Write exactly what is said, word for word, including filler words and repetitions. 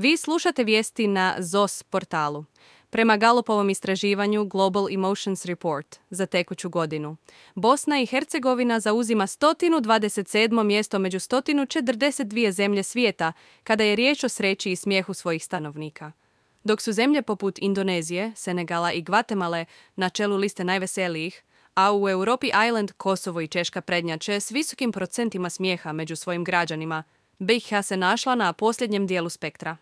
Vi slušate vijesti na Z O S portalu. Prema Galupovom istraživanju Global Emotions Report za tekuću godinu, Bosna i Hercegovina zauzima sto dvadeset sedmo mjesto među sto četrdeset dvije zemlje svijeta kada je riječ o sreći i smijehu svojih stanovnika. Dok su zemlje poput Indonezije, Senegala i Gvatemale na čelu liste najveselijih, a u Europi Island, Kosovo i Češka prednjače s visokim procentima smijeha među svojim građanima, B iH se našla na posljednjem dijelu spektra.